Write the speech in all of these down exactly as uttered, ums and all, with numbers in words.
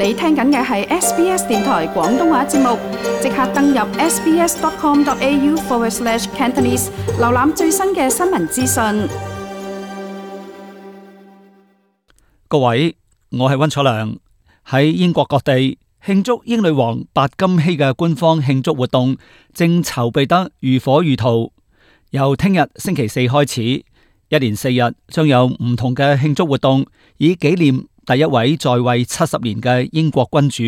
你聽緊嘅係 S B S 電台廣東話節目，即刻登入 sbs.com.au forward slash Cantonese， 瀏覽最新嘅新聞資訊。各位，我係溫楚良。喺英國各地慶祝英女王白金禧嘅官方慶祝活動正籌備得如火如荼。由聽日星期四開始，一連四日將有唔同嘅慶祝活動，以紀念第一位在位七十年嘅英國君主。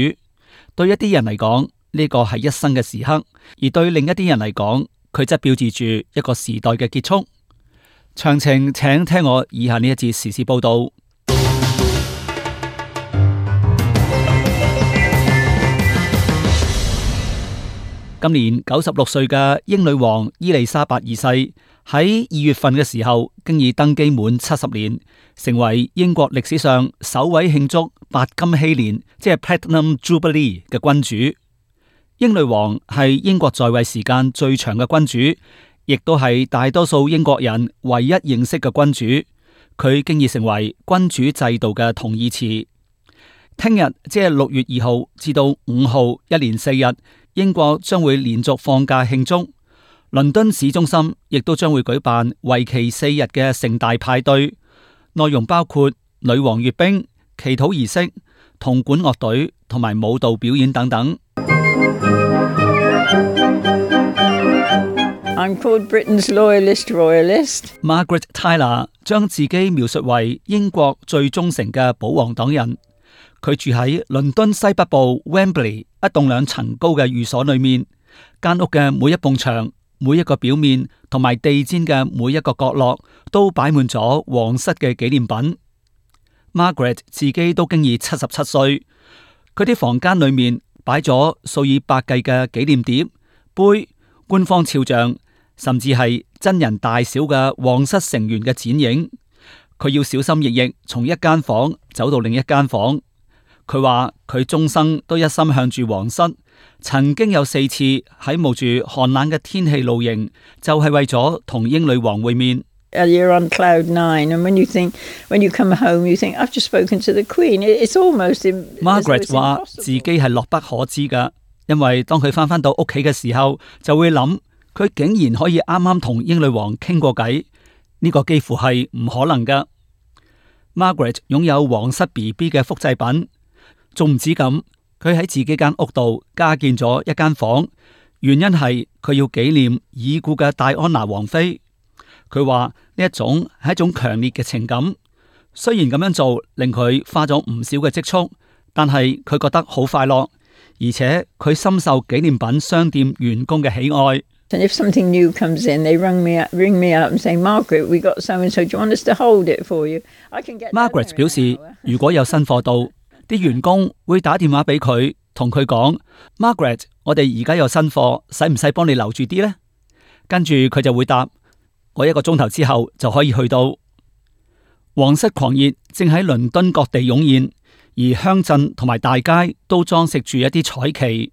對一啲人嚟講，呢個係一生嘅時刻；而對另一啲人嚟講，佢則標誌住一個時代嘅結束。詳情請聽我以下呢一節時事報道。今年九十六歲嘅英女王伊麗莎白二世喺二月份嘅時候，經已登基滿七十年，成為英國歷史上首位慶祝白金禧年，即係 Platinum Jubilee 嘅君主。英女王係英國在位時間最長嘅君主，亦都係大多數英國人唯一認識嘅君主。佢經已成為君主制度嘅同義詞。聽日即係六月二號至到五號，一連四日，英國將會連續放假慶祝。倫敦市中心亦都將會舉辦為期四日嘅盛大派對，內容包括女王閱兵、祈禱儀式、銅管樂隊同埋舞蹈表演等等。I'm called Britain's loyalist royalist. Margaret Tyler 將自己描述為英國最忠誠嘅保皇黨人。佢住喺倫敦西北部 Wembley 一棟兩層高嘅寓所裏面，間屋嘅每一埲牆、每一個表面同埋地氈嘅每一個角落都擺滿咗皇室嘅紀念品。Margaret 自己都經已七十七歲，佢啲房間裏面擺咗數以百計嘅紀念碟、杯、官方肖像，甚至係真人大小嘅皇室成員嘅剪影。佢要小心翼翼從一間房走到另一間房。佢話佢終生都一心向住皇室，曾經有四次喺冒住寒冷嘅天氣露營，就係、是、為咗同英女王會面。You're on cloud nine, and when you think, when you come home, you think, I've just spoken to the Queen. It's almost Margaret 話自己係樂不可支噶，因為當佢翻返到屋企嘅時候，就會諗佢竟然可以啱啱同英女王傾過偈，呢、這個幾乎係唔可能噶。Margaret 擁有皇室 B B 嘅複製品。仲唔止咁，佢喺自己間屋度加建咗一間房，原因係佢要紀念已故嘅戴安娜王妃。佢話呢一種係一種強烈嘅情感，雖然咁樣做令佢花咗唔少嘅積蓄，但係佢覺得好快樂，而且佢深受紀念品商店員工嘅喜愛。And if something new comes in, they ring me up, ring me up and say, Margaret, we got so and so. Do you want us to hold it for you? I can get. Margaret 表示，如果有新貨到，啲員工會打電話俾佢，同佢講 Margaret， 我哋而家有新貨，使唔使幫你留住啲呢？跟住佢就會答，我一個鐘頭之後就可以去到。皇室狂熱正喺倫敦各地湧現，而鄉鎮同埋大街都裝飾住一啲彩旗。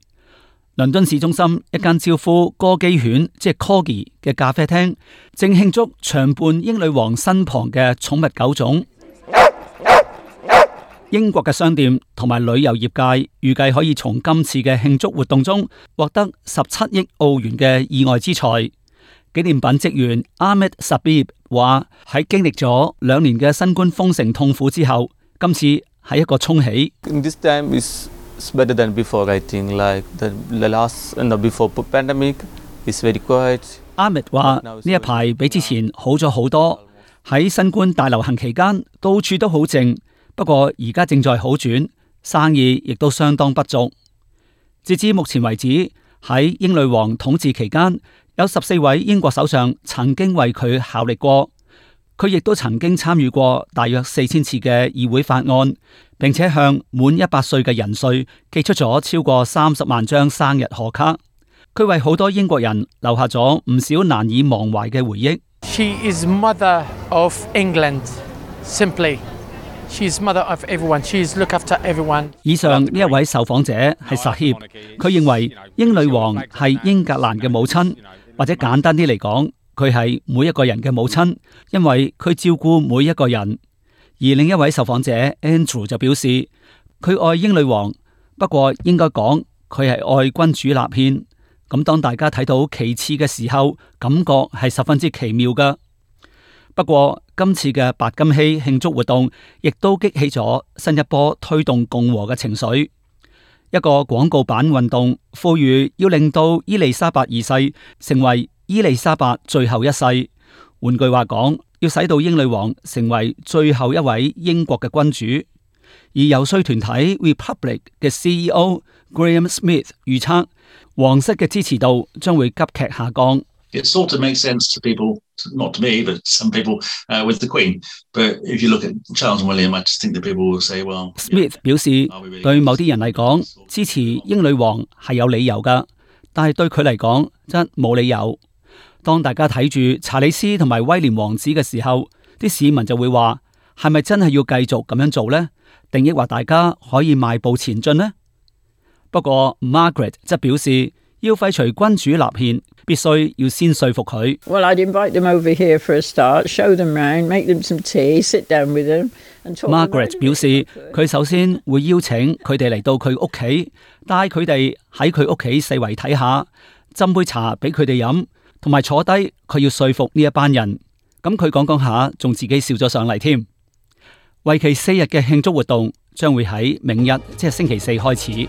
倫敦市中心一間招呼哥基犬，即係 Corgi 嘅咖啡廳，正慶祝長伴英女王身旁嘅寵物狗種。英國嘅商店同埋旅遊業界預計可以從今次嘅慶祝活動中獲得十七億澳元嘅意外之財。紀念品職員 Ahmed Sabib 話：喺經歷咗兩年嘅新冠封城痛苦之後，今次係一個沖喜。This time is better than before, I think. Like the, the last, no, before pandemic, is very quiet. Ahmed 話：呢一排比之前好咗好多。喺新冠大流行期間，到處都好靜。不過而家正在好轉，生意亦都相當不俗。截至目前為止，喺英女王統治期間，有十四位英國首相曾經為佢效力過。佢亦都曾經參與過大約四千次嘅議會法案，並且向滿一百歲嘅人瑞寄出咗超過三十萬張生日賀卡。佢為好多英國人留下咗唔少難以忘懷嘅回憶。She is mother of England, simply.She's mother of everyone. She's look after everyone. 以上呢一位受訪者係薩協，佢認為英女王係英格蘭嘅母親，或者簡單啲嚟講，佢係每一個人嘅母親，因為佢照顧每一個人。而另一位受訪者 Andrew 就表示，佢愛英女王，不過應該講佢係愛君主立憲。咁當大家睇到其次嘅時候，感覺係十分之奇妙㗎。不過今次嘅白金禧慶祝活動，亦都激起咗新一波推動共和嘅情緒。一個廣告版運動，呼籲要令到伊麗莎白二世成為伊麗莎白最後一世。換句話講，要使到英女王成為最後一位英國嘅君主。而遊說團體 Republic 嘅 C E O Graham Smith 預測，皇室嘅支持度將會急劇下降。It sort of makes sense to people, not to me, but some people uh, with the Queen. But if you look at Charles and William, I just think that people will say, well... Smith 表示，對某啲人嚟講，支持英女王係有理由㗎，但係對佢嚟講，真冇理由。當大家睇住查理斯同埋威廉王子嘅時候，啲市民就會話，係咪真係要繼續咁樣做呢？定抑或大家可以邁步前進呢？不過 Margaret 則表示，要廢除君主立憲，必須要先說服佢。Well, I'd invite them over here for a start, show them round, make them some tea, sit down with them and talk. Margaret 表示，佢首先會邀請佢哋嚟到佢屋企，帶佢哋喺佢屋企四圍睇下，斟杯茶俾佢哋飲，同埋坐低，佢要說服呢一班人。咁佢講講下，仲自己笑咗上嚟添。為期四日嘅慶祝活動將會喺明日，即係星期四開始。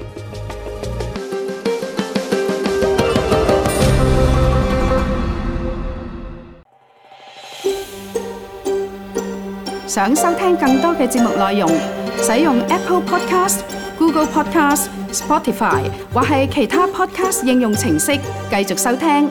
想收聽更多嘅節目內容，使用 Apple Podcast、Google Podcast、Spotify 或係其他 Podcast 應用程式繼續收聽。